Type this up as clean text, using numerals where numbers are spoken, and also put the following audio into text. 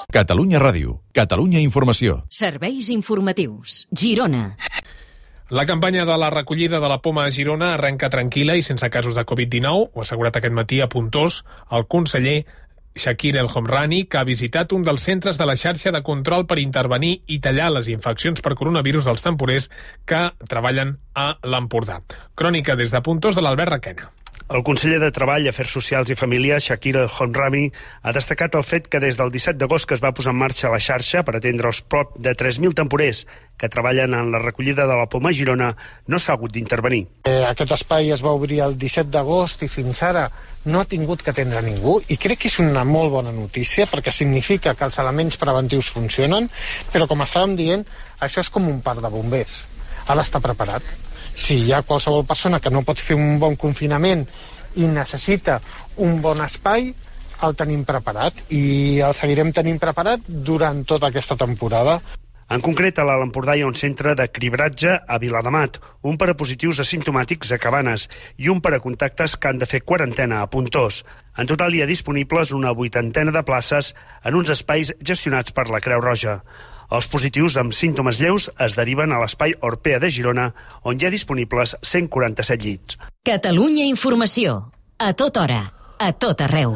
Catalunya Ràdio, Catalunya Informació. Serveis informatius. Girona. La campanya de la recollida de la poma a Girona arrenca tranquil·la i sense casos de Covid-19, ho ha assegurat aquest matí a Puntós el conseller Shakir El Homrani, que ha visitat un dels centres de la xarxa de control per intervenir i tallar les infeccions per coronavirus dels temporers que treballen a l'Empordà. Crònica des de Puntós de l'Albert Requena. El conseller de Treball, Afers Socials i Família, Shakir El Homrani, ha destacat el fet que des del 17 d'agost que es va posar en marxa la xarxa per atendre els prop de 3.000 temporers que treballen en la recollida de la poma a Girona, no s'ha hagut d'intervenir. Aquest espai es va obrir el 17 d'agost i fins ara no ha tingut que atendre ningú, i crec que és una molt bona notícia perquè significa que els elements preventius funcionen, però com estàvem dient, això és com un parc de bombers. Ha d'estar preparat. Si hi ha qualsevol persona que no pot fer un bon confinament i necessita un bon espai, el tenim preparat i el seguirem tenint preparat durant tota aquesta temporada. En concret, a l'Alt Empordà hi ha un centre de cribratge a Viladamat, un per a positius asimptomàtics a Cabanes i un per a contactes que han de fer quarantena a Puntós. En total hi ha disponibles una 80 de places en uns espais gestionats per la Creu Roja. Els positius amb símptomes lleus es deriven a l'espai Orpea de Girona, on hi ha disponibles 147 llits. Catalunya Informació. A tota hora. A tot arreu.